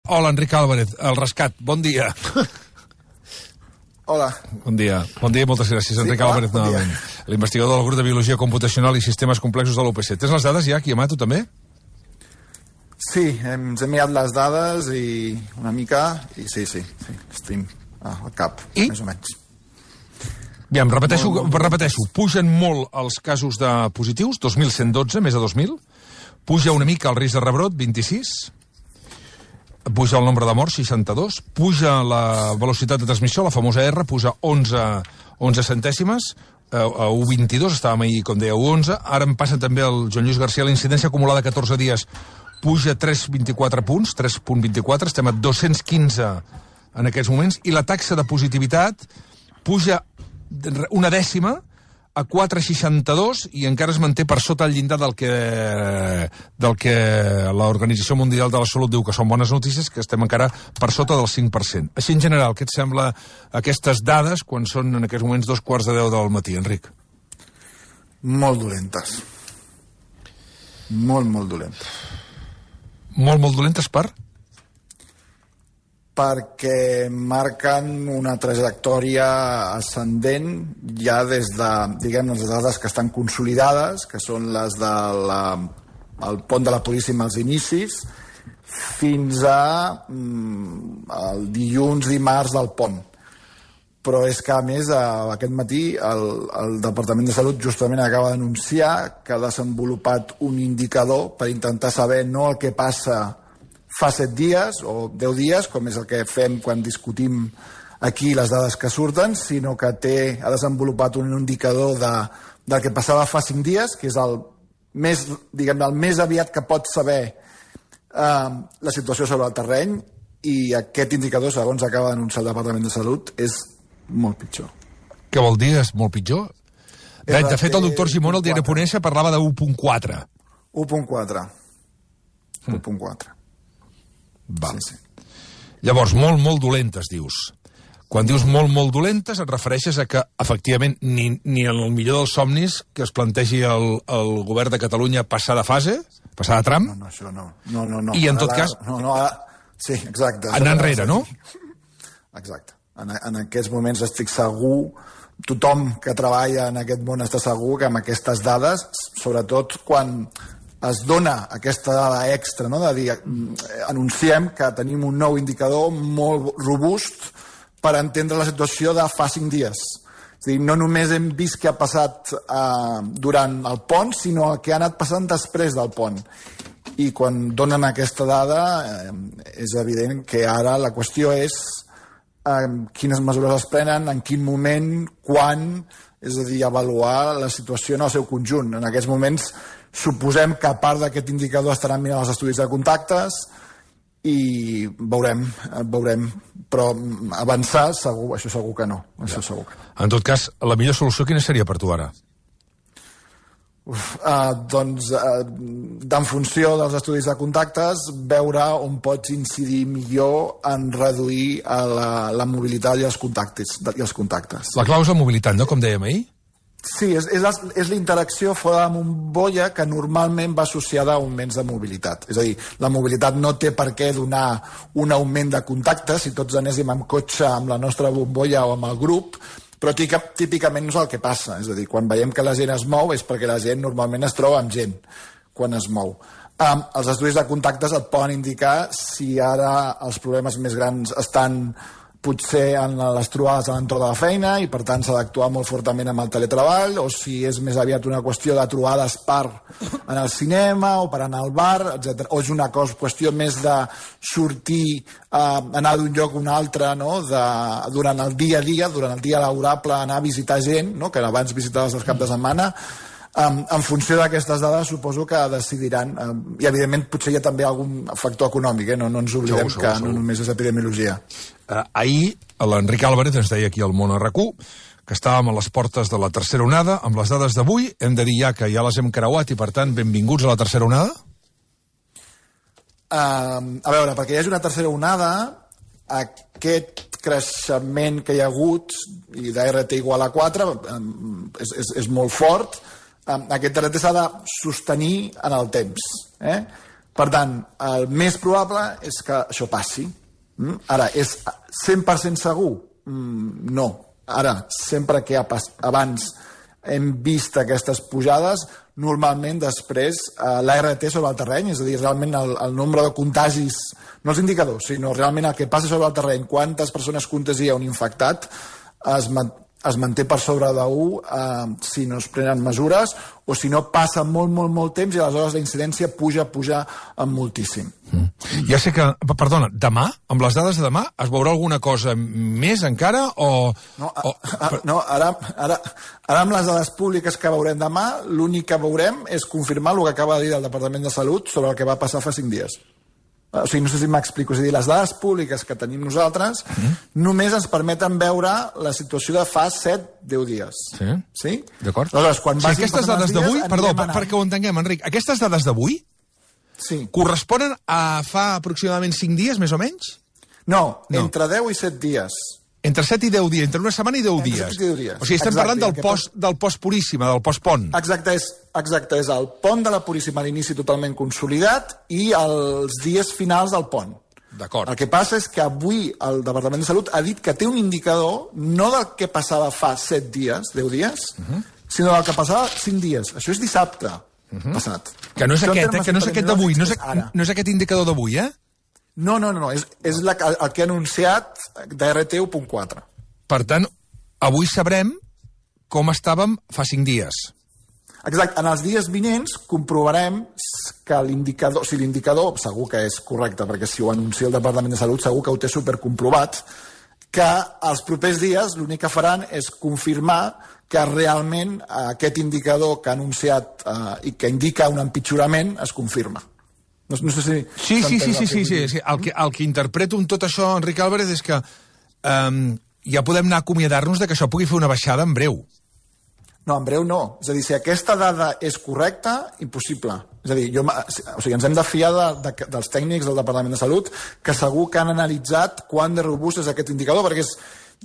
Hola, Enric Álvarez, el rescat. Bon dia. Hola. Bon dia, moltes gràcies, Enric Álvarez, novament. L'investigador del grup de Biologia Computacional i Sistemes Complexos de l'UPC. Tens les dades ja, Guillem, tu també? Sí, ens hem mirat les dades i una mica, i sí, estem al cap, més o menys. Aviam, repeteixo, pugen molt els casos de positius, 2.112, més de 2.000, puja una mica el risc de rebrot, 26, puja el nombre de morts, 62, puja la velocitat de transmissió, la famosa R, puja 11 centèsimes, a 1,22, estàvem ahir, com deia, 1,11, ara em passa també el Joan Lluís García, la incidència acumulada 14 dies puja 3,24 punts, 3,24, estem a 215 en aquests moments, i la taxa de positivitat puja una dècima a 4,62 i encara es manté per sota el llindar del que l'Organització Mundial de la Salut diu que són bones notícies, que estem encara per sota del 5%. Així, en general, què et sembla aquestes dades quan són en aquests moments 2:45 del matí, Enric? Molt dolentes. Molt dolentes. Molt dolentes per? Perquè marquen una trajectòria ascendent ja des de, diguem, les dades que estan consolidades, que són les del pont de la Puríssima als inicis, fins al dilluns, dimarts del pont. Però és que, a més, aquest matí el Departament de Salut justament acaba d'anunciar que ha desenvolupat un indicador per intentar saber no el que passa fa 7 dies o 10 dies, com és el que fem quan discutim aquí les dades que surten, sinó que ha desenvolupat un indicador del que passava fa 5 dies, que és el més aviat que pot saber la situació sobre el terreny, i aquest indicador, segons acaba d'anunciar el Departament de Salut, és molt pitjor. Què vol dir, és molt pitjor? De fet, el doctor Gimón, el diari Ponència, parlava de 1,4. 1,4. 1,4. Val. Sí. Llavors, molt dolentes, dius. Quan dius molt dolentes, et refereixes a que, efectivament, ni en el millor dels somnis que es plantegi el govern de Catalunya passar de fase, passar de tram? No, això no. No. I en tot cas... Sí, exacte. Anar enrere, no? Exacte. En aquests moments estic segur, tothom que treballa en aquest món està segur que amb aquestes dades, sobretot quan es dona aquesta dada extra, no? De dir, anunciem que tenim un nou indicador molt robust per entendre la situació de fa 5 dies. És a dir, no només hem vist què ha passat durant el pont, sinó el que ha anat passant després del pont. I quan donen aquesta dada, és evident que ara la qüestió és quines mesures es prenen, en quin moment, quan, és a dir, avaluar la situació en el seu conjunt. En aquests moments suposem que a part d'aquest indicador estaran mirant els estudis de contactes i veurem, però avançar segur, això segur que no. En tot cas, la millor solució quina seria per tu ara? Doncs, en funció dels estudis de contactes, veure on pots incidir millor en reduir la mobilitat i els contactes. La clau és la mobilitat, no?, com dèiem ahir? Sí, és la interacció fora de la bombolla que normalment va associada a augments de mobilitat. És a dir, la mobilitat no té per què donar un augment de contactes si tots anéssim amb cotxe amb la nostra bombolla o amb el grup, però típicament no és el que passa. És a dir, quan veiem que la gent es mou és perquè la gent normalment es troba amb gent quan es mou. Els estudis de contactes et poden indicar si ara els problemes més grans estan potser en les trobades a l'entorn de la feina i per tant s'ha d'actuar molt fortament amb el teletreball, o si és més aviat una qüestió de trobades per anar al cinema o per anar al bar, etc. O és una qüestió més de sortir, anar d'un lloc a un altre, no? Durant el dia a dia, durant el dia laborable, anar a visitar gent, no? Que abans visitaves el cap de setmana. En funció d'aquestes dades suposo que decidiran, i evidentment potser hi ha també algun factor econòmic, no ens oblidem que no només és epidemiologia. Ahir l'Enric Álvarez ens deia aquí al Món RQ que estàvem a les portes de la tercera onada. Amb les dades d'avui hem de dir ja que ja les hem creuat i per tant benvinguts a la tercera onada? A veure, perquè hi hagi una tercera onada, aquest creixement que hi ha hagut i d'RT igual a 4 és molt fort. Aquest RT s'ha de sostenir en el temps. Per tant, el més probable és que això passi. Ara, és 100% segur? No. Ara, sempre que abans hem vist aquestes pujades, normalment després l'ART sobre el terreny, és a dir, realment el nombre de contagis, no els indicadors, sinó realment el que passa sobre el terreny, quantes persones contagia un infectat, es manté per sobre d'1 si no es prenen mesures, o si no passa molt temps i aleshores la incidència puja moltíssim. Ja sé que, perdona, demà, amb les dades de demà, es veurà alguna cosa més encara o... No, ara amb les dades públiques que veurem demà, l'únic que veurem és confirmar el que acaba de dir el Departament de Salut sobre el que va passar fa 5 dies. O sigui, no sé si m'explico. És a dir, les dades públiques que tenim nosaltres només ens permeten veure la situació de fa 7-10 dies. Sí? D'acord. Aleshores, quan vagin aquestes dades d'avui, perdó, perquè ho entenguem, Enric, aquestes dades d'avui corresponen a fa aproximadament 5 dies, més o menys? No, entre 10 i 7 dies. Entre 7 i 10 dies, entre una setmana i 10 dies. 7 i 10 dies. O sigui, estem parlant del post Puríssima, del post pont. Exacte, és el pont de la Puríssima a l'inici totalment consolidat i els dies finals del pont. D'acord. El que passa és que avui el Departament de Salut ha dit que té un indicador no del que passava fa 7 dies, 10 dies, sinó del que passava 5 dies. Això és dissabte passat. Que no és aquest d'avui, no és aquest indicador d'avui, No, és el que ha anunciat d'ART 1.4. Per tant, avui sabrem com estàvem fa 5 dies. Exacte. En els dies vinents comprovarem que l'indicador, si l'indicador segur que és correcte, perquè si ho anuncia el Departament de Salut segur que ho té supercomprovat, que els propers dies l'únic que faran és confirmar que realment aquest indicador que ha anunciat i que indica un empitjorament es confirma. No sé si... Sí. El que interpreto amb tot això, Enric Álvarez, és que ja podem anar a acomiadar-nos de que això pugui fer una baixada en breu. No, en breu no. És a dir, si aquesta dada és correcta, impossible. És a dir, ens hem de fiar dels tècnics del Departament de Salut, que segur que han analitzat quant de robust és aquest indicador, perquè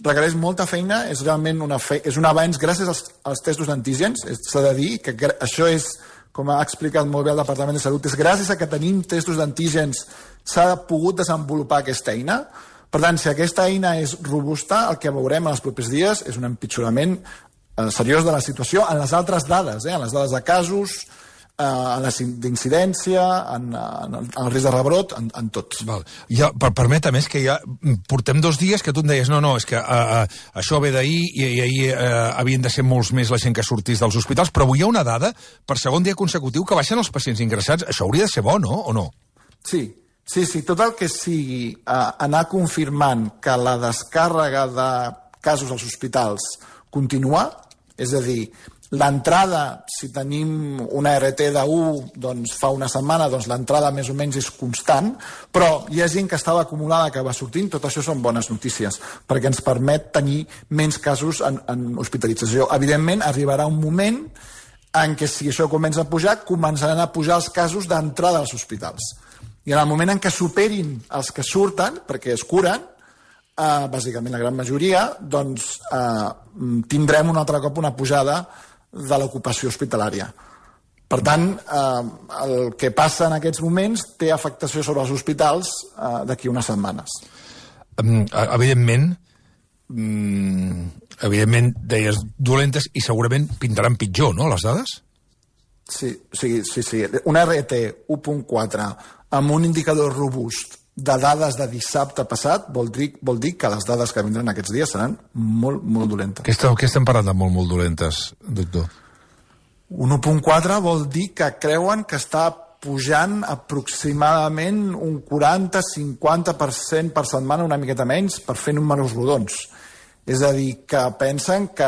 requereix molta feina, és realment un avanç gràcies als testos d'antígens. S'ha de dir que això és, com ha explicat molt bé el Departament de Salut, és gràcies a que tenim testos d'antígens s'ha pogut desenvolupar aquesta eina. Per tant, si aquesta eina és robusta, el que veurem en els propers dies és un empitjorament seriós de la situació en les altres dades, en les dades de casos, en la d'incidència, en el risc de rebrot, en tots. Permetem, és que ja portem 2 dies que tu em deies, no, és que això ve d'ahir i ahir havien de ser molts més la gent que sortís dels hospitals, però avui hi ha una dada, per segon dia consecutiu, que baixen els pacients ingressats. Això hauria de ser bo, no? O no? Sí, tot el que sigui anar confirmant que la descàrrega de casos als hospitals continua, és a dir, l'entrada, si tenim una RT de1 doncs fa una setmana, doncs l'entrada més o menys és constant, però hi ha gent que estava acumulada que va sortint, tot això són bones notícies, perquè ens permet tenir menys casos en hospitalització. Evidentment, arribarà un moment en què si això comença a pujar, començaran a pujar els casos d'entrada als hospitals. I en el moment en què superin els que surten, perquè es curen, bàsicament la gran majoria, doncs tindrem un altre cop una pujada de l'ocupació hospitalària. Per tant, el que passa en aquests moments té afectació sobre els hospitals d'aquí unes setmanes. Evidentment, deies dolentes i segurament pintaran pitjor, no, les dades? Sí. Una RT 1.4 amb un indicador robust de dades de dissabte passat vol dir que les dades que vindran aquests dies seran molt, molt dolentes. Què estem parlant de molt, molt dolentes, doctor? Un 1.4 vol dir que creuen que està pujant aproximadament un 40-50% per setmana, una miqueta menys, per fer números rodons. És a dir, que pensen que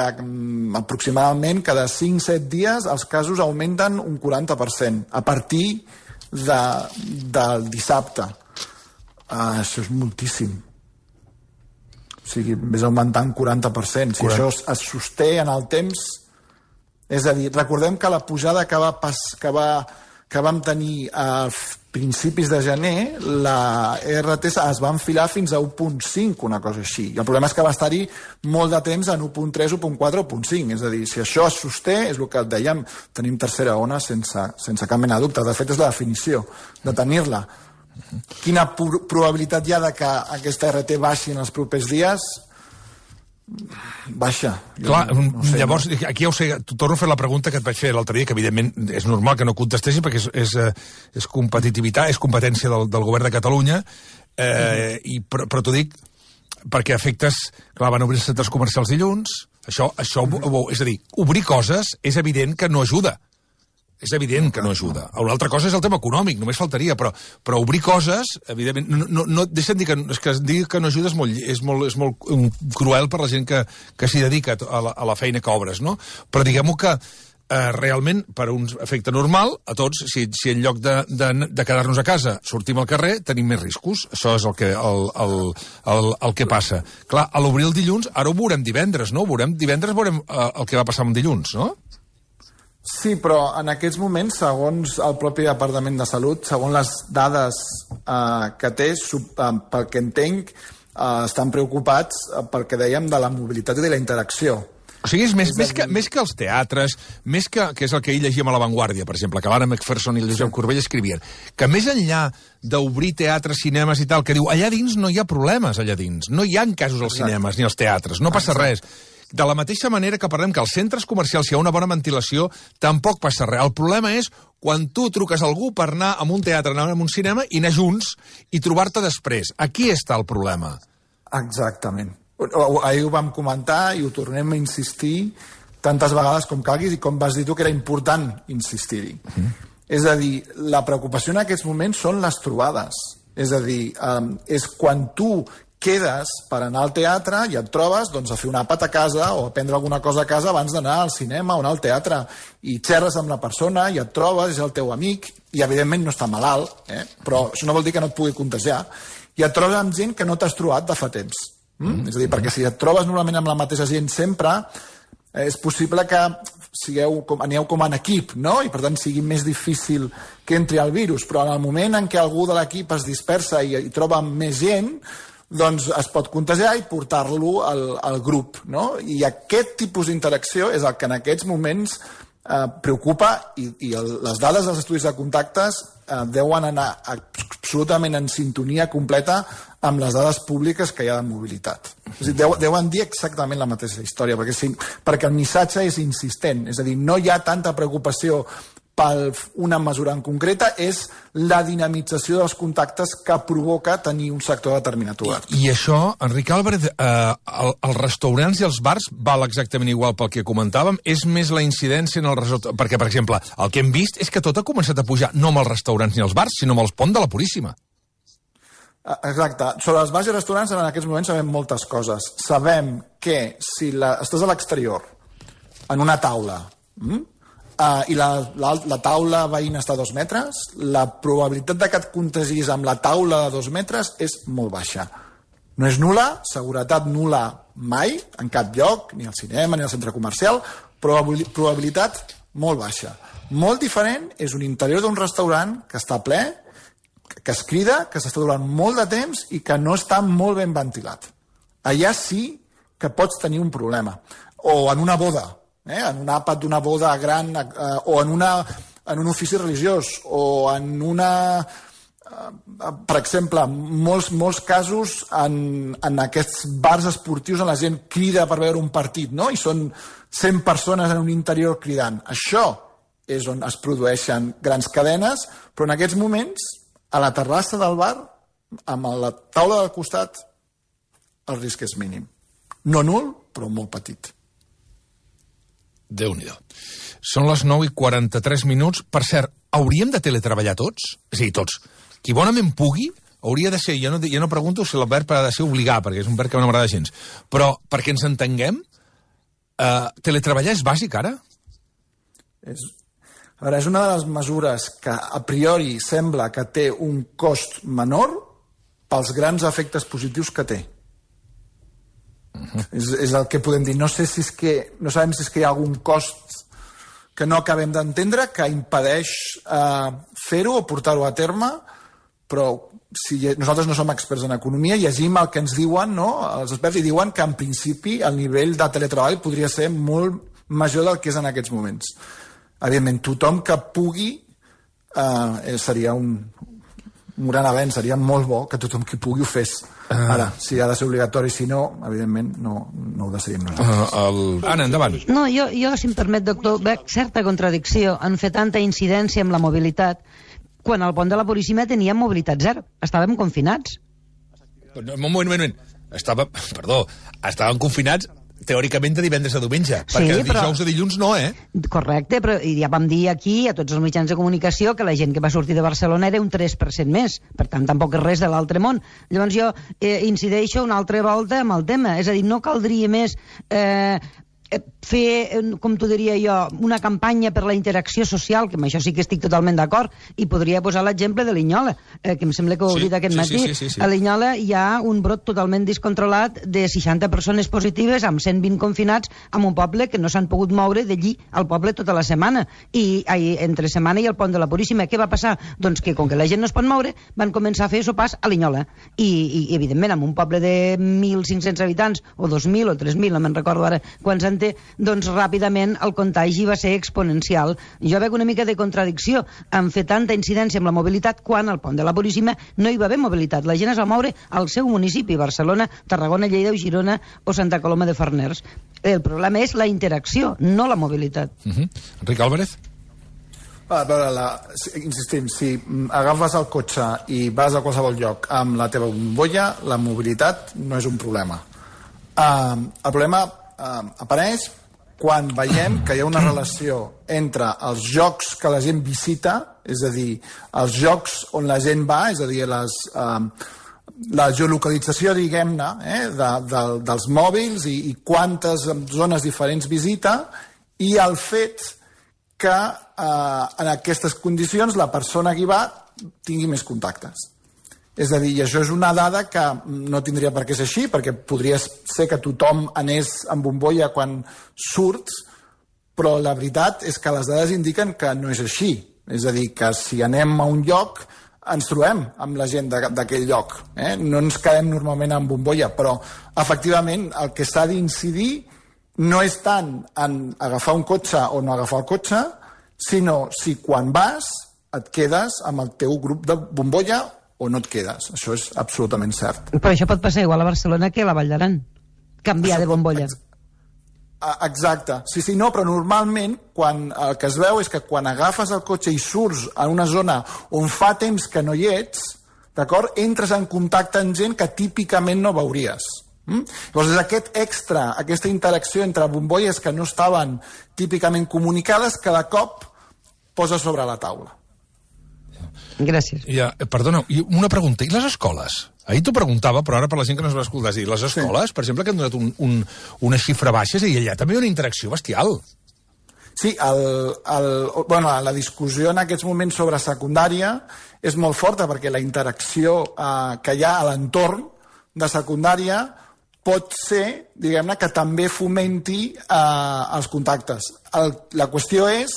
aproximadament cada 5-7 dies els casos augmenten un 40% a partir del dissabte. Això és moltíssim. O sigui, vés augmentant 40%. Si això es sosté en el temps... És a dir, recordem que la pujada que que vam tenir a principis de gener, la RT es va enfilar fins a 1.5, una cosa així. I el problema és que va estar-hi molt de temps en 1.3, 1.4, 1.5. És a dir, si això es sosté, és el que et dèiem, tenim tercera ona sense cap mena de dubte. De fet, és la definició de tenir-la. Quina probabilitat hi ha de que aquesta RT baixi en els propers dies? Baixa. Clar, no sé, llavors, aquí ja ho sé, torno a fer la pregunta que et vaig fer l'altre dia, que evidentment és normal que no contestessi perquè és competitivitat, és competència del govern de Catalunya, però t'ho dic perquè efectes, clar, van obrir els centres comercials dilluns, això és a dir, obrir coses és evident que no ajuda. És evident que no ajuda. Una altra cosa és el tema econòmic, només faltaria, però obrir coses, evidentment, no deixa'm dir que dir que no ajuda és molt cruel per la gent que s'hi dedica a la feina que obres, no? Però diguem-ho que realment, per un efecte normal, a tots, si en lloc de quedar-nos a casa sortim al carrer, tenim més riscos. Això és el que passa. Clar, a l'obrir el dilluns, ara ho veurem divendres, no? Divendres veurem el que va passar amb dilluns, no? Sí, però en aquests moments, segons el propi Departament de Salut, segons les dades que té, pel que entenc, estan preocupats pel que dèiem de la mobilitat i de la interacció. O sigui, és més que els teatres, més que és el que ahir llegíem a La Vanguardia, per exemple, que l'Anna McPherson i el Josep Corbell escrivien, que més enllà d'obrir teatres, cinemes i tal, que diu, allà dins no hi ha problemes, allà dins. No hi ha casos als cinemes ni als teatres, no passa res. De la mateixa manera que parlem que als centres comercials hi ha una bona ventilació, tampoc passa res. El problema és quan tu truques a algú per anar a un teatre, anar a un cinema i anar junts i trobar-te després. Aquí està el problema. Exactament. Ahir ho vam comentar i ho tornem a insistir tantes vegades com calguis i com vas dir tu que era important insistir-hi. És a dir, la preocupació en aquests moments són les trobades. És a dir, és quan tu quedes per anar al teatre i et trobes doncs, a fer un àpat a casa o a prendre alguna cosa a casa abans d'anar al cinema o anar al teatre i xerres amb la persona i et trobes, és el teu amic i evidentment no està malalt, però això no vol dir que no et pugui contagiar i et trobes amb gent que no t'has trobat de fa temps. És a dir, perquè si et trobes normalment amb la mateixa gent sempre, és possible que aneu com en equip, no? I per tant sigui més difícil que entri el virus, però en el moment en què algú de l'equip es dispersa i troba més gent, doncs es pot contagiar i portar-lo al grup, no? I aquest tipus d'interacció és el que en aquests moments preocupa i les dades dels estudis de contactes deuen anar absolutament en sintonia completa amb les dades públiques que hi ha de mobilitat. És a dir, deuen dir exactament la mateixa història, perquè el missatge és insistent, és a dir, no hi ha tanta preocupació per una mesura en concreta, és la dinamització dels contactes que provoca tenir un sector determinat obert. I això, Enric Álvarez, els restaurants i els bars val exactament igual pel que comentàvem? És més la incidència en el restaurant? Perquè, per exemple, el que hem vist és que tot ha començat a pujar no amb els restaurants ni els bars, sinó amb els ponts de la Puríssima. Exacte. Sobre els bars i restaurants, en aquests moments sabem moltes coses. Sabem que si estàs a l'exterior, en una taula, i la taula veïna està a 2 metres, la probabilitat de que et contagis amb la taula de 2 metres és molt baixa. No és nul·la, seguretat nul·la mai, en cap lloc, ni al cinema ni al centre comercial, probabilitat molt baixa. Molt diferent és un interior d'un restaurant que està ple, que es crida, que s'està durant molt de temps i que no està molt ben ventilat. Allà sí que pots tenir un problema. O en una boda, en un àpat d'una boda gran, o en un ofici religiós, o en una... Per exemple, molts casos en aquests bars esportius on la gent crida per veure un partit, no? I són 100 persones en un interior cridant. Això és on es produeixen grans cadenes, però en aquests moments, a la terrassa del bar, amb la taula del costat, el risc és mínim. No nul, però molt petit. Déu-n'hi-do. Són les 9:43. Per cert, hauríem de teletreballar tots? És a dir, tots. Qui bonament pugui, hauria de ser... Jo no pregunto si el verb ha de ser obligar, perquè és un verb que no m'agrada gens. Però, perquè ens entenguem, teletreballar és bàsic, ara? És una de les mesures que a priori sembla que té un cost menor pels grans efectes positius que té. És el que podem dir. No sabem si és que hi ha algun cost que no acabem d'entendre, que impedeix fer-ho o portar-ho a terme, però si nosaltres no som experts en economia, llegim el que ens diuen, no? Els experts i diuen que en principi el nivell de teletreball podria ser molt major del que és en aquests moments. Evidentment, tothom que pugui seria un gran avenç, seria molt bo que tothom que pugui ho fes. Ara, si ha de ser obligatori, si no, evidentment no ho decidim nosaltres. Anna, endavant. No, jo, si em permet, doctor, veig certa contradicció en fer tanta incidència amb la mobilitat quan al pont de la Puríssima teníem mobilitat zero. Estàvem confinats. Un moment. Estàvem confinats teòricament de divendres a diumenge, perquè de dijous a dilluns no, Correcte, però ja vam dir aquí, a tots els mitjans de comunicació, que la gent que va sortir de Barcelona era un 3% més, per tant, tampoc és res de l'altre món. Llavors jo incideixo una altra volta amb el tema, és a dir, no caldria més fer, com t'ho diria jo, una campanya per la interacció social, que amb això sí que estic totalment d'acord, i podria posar l'exemple de Linyola, que em sembla que ho he dit aquest matí. Sí. A Linyola hi ha un brot totalment descontrolat de 60 persones positives amb 120 confinats en un poble que no s'han pogut moure d'allí al poble tota la setmana. I entre setmana i el pont de la Puríssima, què va passar? Doncs que com que la gent no es pot moure, van començar a fer sopars a Linyola. I evidentment, en un poble de 1.500 habitants, o 2.000 o 3.000, no me'n recordo ara quants en té, doncs ràpidament el contagi va ser exponencial. Jo veig una mica de contradicció en fer tanta incidència amb la mobilitat quan al pont de la Puríssima no hi va haver mobilitat. La gent es va moure al seu municipi, Barcelona, Tarragona, Lleida, Girona o Santa Coloma de Farners. El problema és la interacció, no la mobilitat. Enric Álvarez? A veure, insistim, si agafes el cotxe i vas a qualsevol lloc amb la teva bombolla, la mobilitat no és un problema. El problema apareix quan veiem que hi ha una relació entre els llocs que la gent visita, és a dir, els llocs on la gent va, és a dir, la geolocalització, diguem-ne, dels mòbils i quantes zones diferents visita, i el fet que en aquestes condicions la persona que hi va tingui més contactes. És a dir, i això és una dada que no tindria per què ser així, perquè podria ser que tothom anés en bombolla quan surts, però la veritat és que les dades indiquen que no és així. És a dir, que si anem a un lloc ens trobem amb la gent d'aquell lloc. No ens quedem normalment en bombolla, però efectivament el que s'ha d'incidir no és tant en agafar un cotxe o no agafar el cotxe, sinó si quan vas et quedes amb el teu grup de bombolla o no et quedes. Això és absolutament cert. Però això pot passar igual a Barcelona que a la Vall d'Aran. Canviar de bombolla. Exacte. Sí, no, però normalment el que es veu és que quan agafes el cotxe i surts en una zona on fa temps que no hi ets, d'acord, entres en contacte amb gent que típicament no veuries. Llavors és aquest extra, aquesta interacció entre bombolles que no estaven típicament comunicades, que de cop posa sobre la taula. Gràcies. Perdona, una pregunta. I les escoles? Ahir t'ho preguntava, però ara per la gent que no es va escoltar, és a dir, les escoles, per exemple, que han donat una xifra baixa, és a dir, allà també hi ha una interacció bestial. Sí, la discussió en aquests moments sobre secundària és molt forta, perquè la interacció que hi ha a l'entorn de secundària pot ser, diguem-ne, que també fomenti els contactes. La qüestió és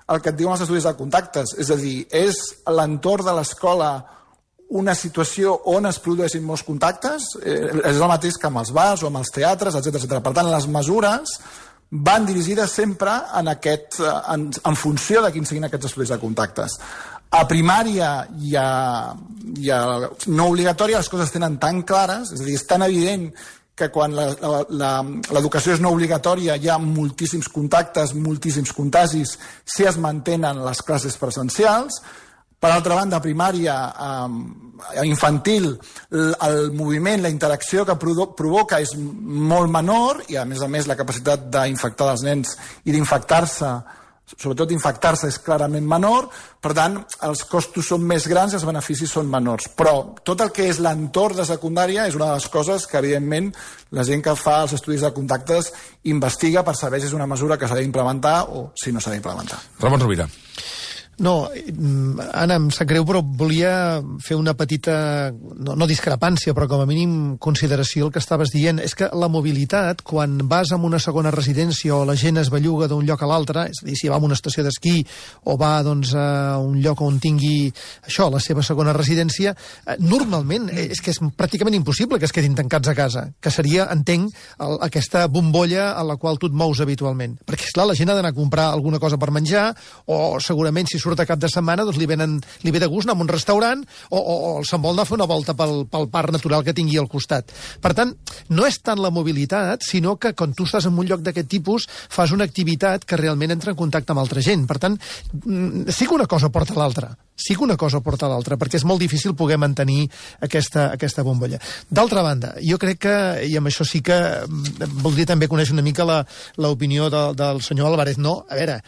el que et diuen els estudis de contactes, és a dir, és l'entorn de l'escola una situació on es produeixin molts contactes, és el mateix que amb els bars o amb els teatres, etc. Per tant, les mesures van dirigides sempre en funció de quins siguin aquests estudis de contactes. A primària i a no obligatòria les coses tenen tan clares, és a dir, és tan evident que quan l'educació és no obligatòria hi ha moltíssims contactes, moltíssims contagis, si es mantenen les classes presencials. Per altra banda, a primària, infantil, el moviment, la interacció que provoca és molt menor i, a més, la capacitat d'infectar els nens i d'infectar-se, sobretot infectar-se, és clarament menor. Per tant, els costos són més grans i els beneficis són menors. Però tot el que és l'entorn de secundària és una de les coses que, evidentment, la gent que fa els estudis de contactes investiga per saber si és una mesura que s'ha d'implementar o si no s'ha d'implementar. Ramon Rovira. No, Anna, em sap greu, però volia fer una petita, no discrepància, però com a mínim consideració el que estaves dient. És que la mobilitat, quan vas a una segona residència o la gent es belluga d'un lloc a l'altre, és a dir, si va a una estació d'esquí o va doncs, a un lloc on tingui això, la seva segona residència, normalment és que és pràcticament impossible que es quedin tancats a casa, que seria, entenc, aquesta bombolla a la qual tu et mous habitualment. Perquè, esclar, la gent ha d'anar a comprar alguna cosa per menjar, o segurament si surt a cap de setmana doncs li ve de gust anar a un restaurant o se'n vol anar a fer una volta pel parc natural que tingui al costat. Per tant, no és tant la mobilitat, sinó que quan tu estàs en un lloc d'aquest tipus fas una activitat que realment entra en contacte amb altra gent. Per tant, sí que una cosa porta a l'altra. Sí que una cosa porta a l'altra, perquè és molt difícil poder mantenir aquesta bombolla. D'altra banda, jo crec que, i amb això sí que voldria també conèixer una mica l'opinió del senyor Álvarez. No, a veure,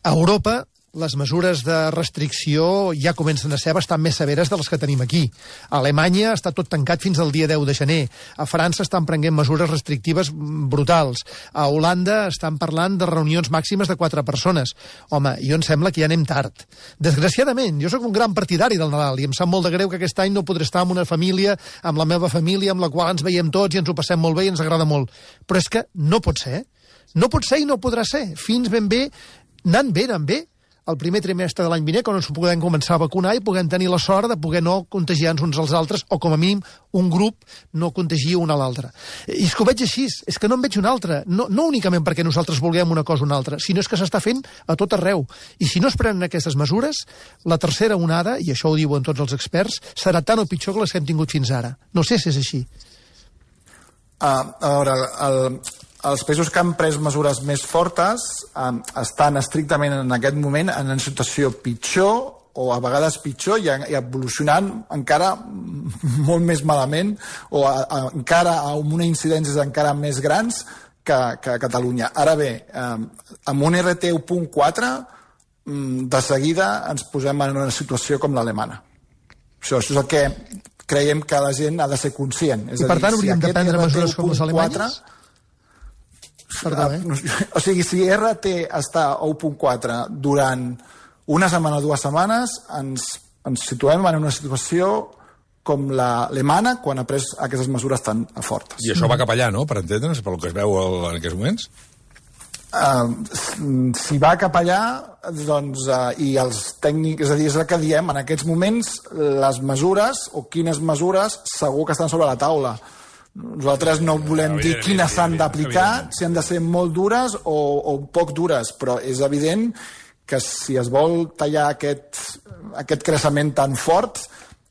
a Europa les mesures de restricció ja comencen a ser bastant més severes de les que tenim aquí. A Alemanya està tot tancat fins al dia 10 de gener. A França estan prenent mesures restrictives brutals. A Holanda estan parlant de reunions màximes de 4 persones. Home, jo em sembla que ja anem tard. Desgraciadament, jo sóc un gran partidari del Nadal i em sap molt de greu que aquest any no podré estar amb una família, amb la meva família, amb la qual ens veiem tots i ens ho passem molt bé i ens agrada molt. Però és que no pot ser. No pot ser i no podrà ser. Fins ben bé, anant bé, el primer trimestre de l'any vinent, quan ens podem començar a vacunar i puguem tenir la sort de poder no contagiar-nos uns als altres, o com a mínim un grup no contagia un a l'altre. I és que ho veig així, és que no en veig una altra, no únicament perquè nosaltres vulguem una cosa o una altra, sinó és que s'està fent a tot arreu. I si no es prenen aquestes mesures, la tercera onada, i això ho diuen tots els experts, serà tan o pitjor que les que hem tingut fins ara. No sé si és així. A veure, els països que han pres mesures més fortes estan estrictament en aquest moment en una situació pitjor o a vegades pitjor i evolucionant encara molt més malament o encara amb una incidències encara més grans que Catalunya. Ara bé, amb un RT 1.4 de seguida ens posem en una situació com l'alemana. Això és el que creiem que la gent ha de ser conscient. I per tant hauríem de prendre mesures com les alemanyes? Perdó, o sigui, si RT està a 1.4 durant una setmana o 2 setmanes, ens situem en una situació com l'alemana quan ha pres aquestes mesures tan fortes. I això va cap allà, no?, per entendre'ns, pel que es veu en aquests moments? Si va cap allà, doncs, i els tècnics, és a dir, és el que diem, en aquests moments les mesures, o quines mesures, segur que estan sobre la taula. Nosaltres no volem dir quines s'han d'aplicar, si han de ser molt dures o poc dures, però és evident que si es vol tallar aquest creixement tan fort,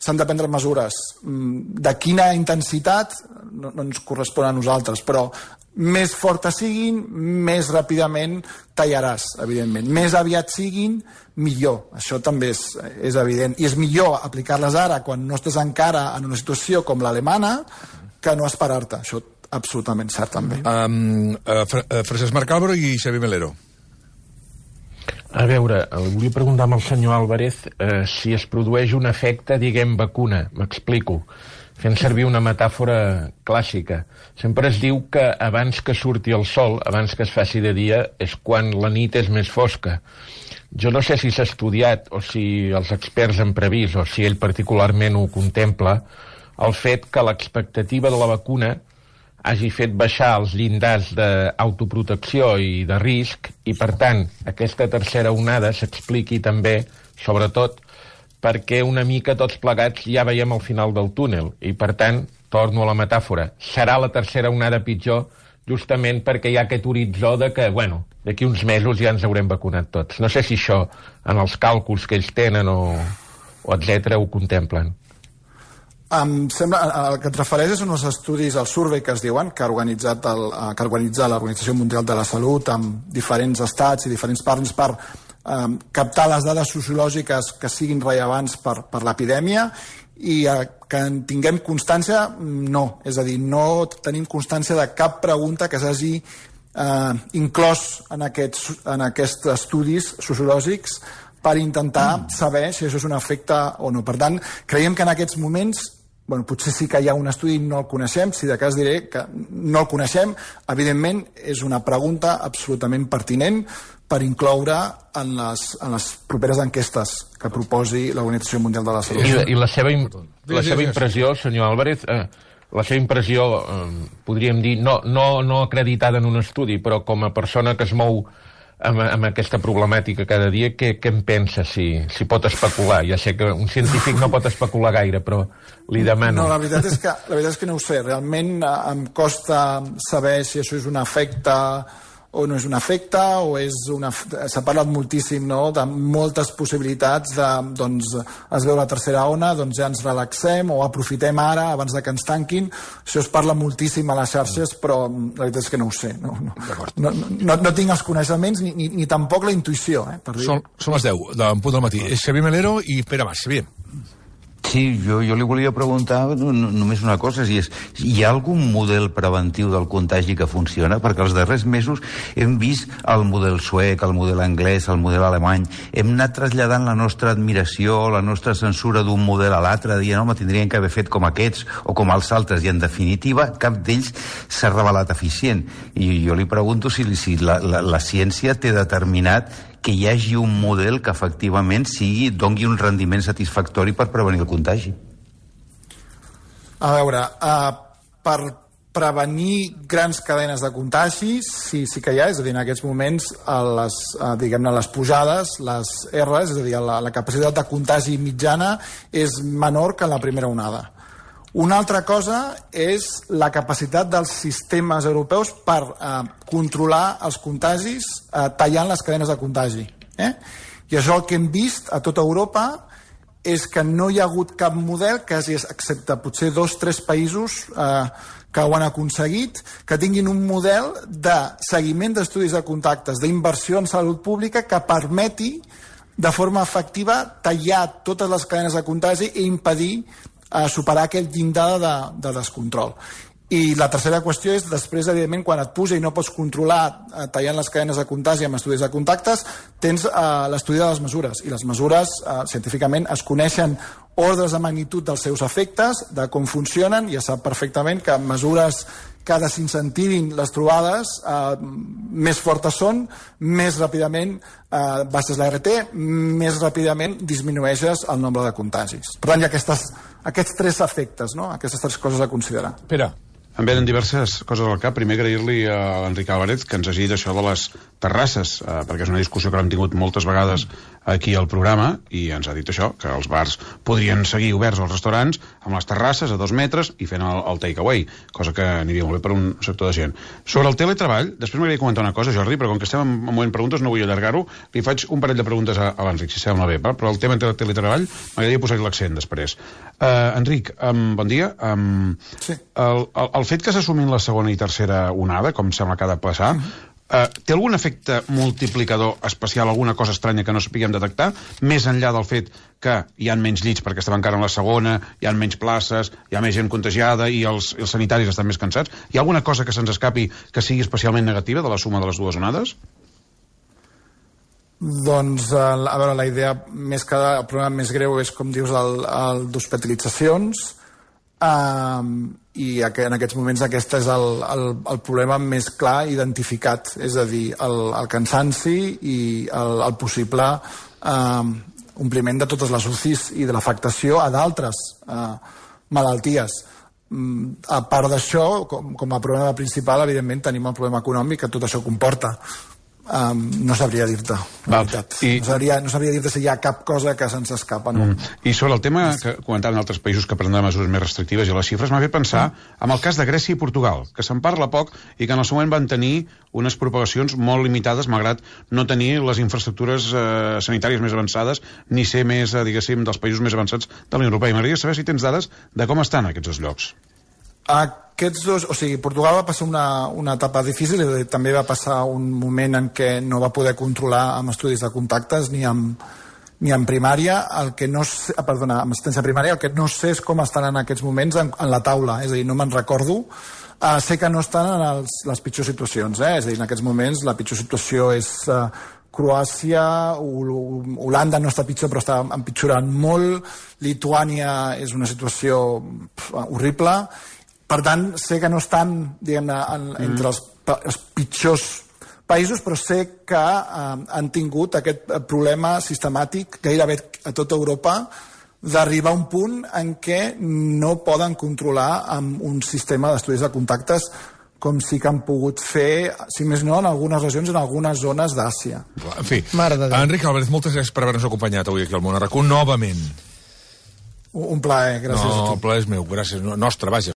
s'han de prendre mesures. De quina intensitat no ens correspon a nosaltres, però més fortes siguin, més ràpidament tallaràs, evidentment. Més aviat siguin, millor. Això també és evident. I és millor aplicar-les ara, quan no estàs encara en una situació com l'alemana, que no esperar-te. Això absolutament cert, també. Francesc Marc Álvaro i Xavier Melero. A veure, volia preguntar al senyor Álvarez si es produeix un efecte, diguem, vacuna. M'explico. Fent servir una metàfora clàssica. Sempre es diu que abans que surti el sol, abans que es faci de dia, és quan la nit és més fosca. Jo no sé si s'ha estudiat o si els experts han previst o si ell particularment ho contempla, el fet que l'expectativa de la vacuna hagi fet baixar els llindars d'autoprotecció i de risc i, per tant, aquesta tercera onada s'expliqui també, sobretot, perquè una mica tots plegats ja veiem el final del túnel i, per tant, torno a la metàfora, serà la tercera onada pitjor justament perquè hi ha aquest horitzó de que, bueno, d'aquí uns mesos ja ens haurem vacunat tots. No sé si això, en els càlculs que ells tenen o etcètera, ho contemplen. Em sembla, el que et refereixes són els estudis, el survey que es diuen, que ha organitzat l'Organització Mundial de la Salut amb diferents estats i diferents partners per captar les dades sociològiques que siguin rellevants per l'epidèmia i que en tinguem constància, no. És a dir, no tenim constància de cap pregunta que s'hagi inclòs en aquests estudis sociològics per intentar saber si això és un efecte o no. Per tant, creiem que en aquests moments potser sí que hi ha un estudi, no el coneixem, si de cas diré que no el coneixem. Evidentment, és una pregunta absolutament pertinent per incloure en les properes enquestes que proposi l'Organització Mundial de la Salut. I la seva impressió, senyor Álvarez, la seva impressió, podríem dir, no acreditada en un estudi, però com a persona que es mou amb aquesta problemàtica cada dia, què en pensa, si pot especular? Ja sé que un científic no pot especular gaire, però li demano... No, la veritat és que no ho sé. Realment em costa saber si això és un efecte o no és un efecte, o és una... S'ha parlat moltíssim, no?, de moltes possibilitats de, doncs, es veu la tercera ona, doncs ja ens relaxem, o aprofitem ara, abans de que ens tanquin. Això es parla moltíssim a les xarxes, però la veritat és que no ho sé. No tinc els coneixements ni tampoc la intuïció, per dir. Són les 10 d'en punt del matí. És Xavier Melero i Pere Mas. Xavier. Sí, jo li volia preguntar només una cosa, si hi ha algun model preventiu del contagi que funciona? Perquè els darrers mesos hem vist el model suec, el model anglès, el model alemany, hem anat traslladant la nostra admiració, la nostra censura d'un model a l'altre, dient, home, tindrien que haver fet com aquests o com els altres, i en definitiva cap d'ells s'ha revelat eficient. I jo li pregunto si la ciència té determinat que hi hagi un model que efectivament doni un rendiment satisfactori per prevenir el contagi. A veure, per prevenir grans cadenes de contagis sí que hi ha, és a dir, en aquests moments les pujades, les R's, és a dir, la capacitat de contagi mitjana és menor que en la primera onada. Una altra cosa és la capacitat dels sistemes europeus per controlar els contagis tallant les cadenes de contagi. I això el que hem vist a tota Europa és que no hi ha hagut cap model, excepte potser 2 o 3 països que ho han aconseguit, que tinguin un model de seguiment d'estudis de contactes, d'inversió en salut pública que permeti de forma efectiva tallar totes les cadenes de contagi i impedir superar aquell llindar de descontrol. I la tercera qüestió és, després, evidentment, quan et puja i no pots controlar tallant les cadenes de contagi amb estudis de contactes, tens l'estudi de les mesures. I les mesures, científicament, es coneixen ordres de magnitud dels seus efectes, de com funcionen, i es sap perfectament que mesures que desincentivin les trobades més fortes són, més ràpidament baixes la RT, més ràpidament disminueixes el nombre de contagis. Per tant, hi ha aquests 3 efectes, no? Aquestes 3 coses a considerar. Pere. Em venen diverses coses al cap. Primer, agrair-li a l'Enric Álvarez que ens hagi dit això de les terrasses, perquè és una discussió que hem tingut moltes vegades aquí al programa, i ens ha dit això, que els bars podrien seguir oberts als restaurants amb les terrasses a 2 metres i fent el take-away, cosa que aniria molt bé per un sector de gent. Sobre el teletreball, després m'agradaria comentar una cosa, Jordi, però com que estem en moment de preguntes no vull allargar-ho, li faig un parell de preguntes a l'Enric, si sembla bé, però el tema del teletreball m'agradaria posar-hi l'accent després. Enric, bon dia. Sí. El fet que s'assumin la segona i tercera onada, com sembla que ha de passar, té algun efecte multiplicador especial, alguna cosa estranya que no sapiguem detectar, més enllà del fet que hi ha menys llits perquè estem encara en la segona, hi ha menys places, hi ha més gent contagiada i els sanitaris estan més cansats? Hi ha alguna cosa que se'ns escapi que sigui especialment negativa de la suma de les 2 onades? Doncs, a veure, la idea més que el problema més greu és, com dius, el d'hospitalitzacions, i en aquests moments aquest és el problema més clar identificat, és a dir, el cansanci i el possible ompliment de totes les UCIs i de l'afectació a d'altres malalties. A part d'això, com a problema principal, evidentment tenim el problema econòmic que tot això comporta. No sabria dir-te, la veritat. No sabria dir-te si hi ha cap cosa que se'ns escapa, no. I sobre el tema que comentaven altres països que prendran mesures més restrictives i les xifres, m'ha fet pensar en el cas de Grècia i Portugal, que se'n parla poc i que en el seu moment van tenir unes propagacions molt limitades, malgrat no tenir les infraestructures sanitàries més avançades ni ser més, diguéssim, dels països més avançats de la Unió Europea. I m'agradaria saber si tens dades de com estan aquests 2 llocs. Aquests 2, o sigui, Portugal va passar una etapa difícil i també va passar un moment en què no va poder controlar amb estudis de contactes ni en primària, amb assistència primària. El que no sé és com estan en aquests moments en la taula, és a dir, no me'n recordo. Sé que no estan en les pitjors situacions, és a dir, en aquests moments la pitjor situació és Croàcia, Holanda no està pitjor però està empitjorant molt, Lituània és una situació horrible, per tant sé que no estan entre els pitjors països, però sé que han tingut aquest problema sistemàtic gairebé a tota Europa d'arribar a un punt en què no poden controlar amb un sistema d'estudis de contactes com sí que han pogut fer, si més no, en algunes regions, en algunes zones d'Àsia. En fi, Enric Álvarez, moltes gràcies per haver-nos acompanyat avui aquí al Món a RAC1 novament. Un plaer, gràcies a tu. No, el plaer és meu, gràcies, nostre, vaja.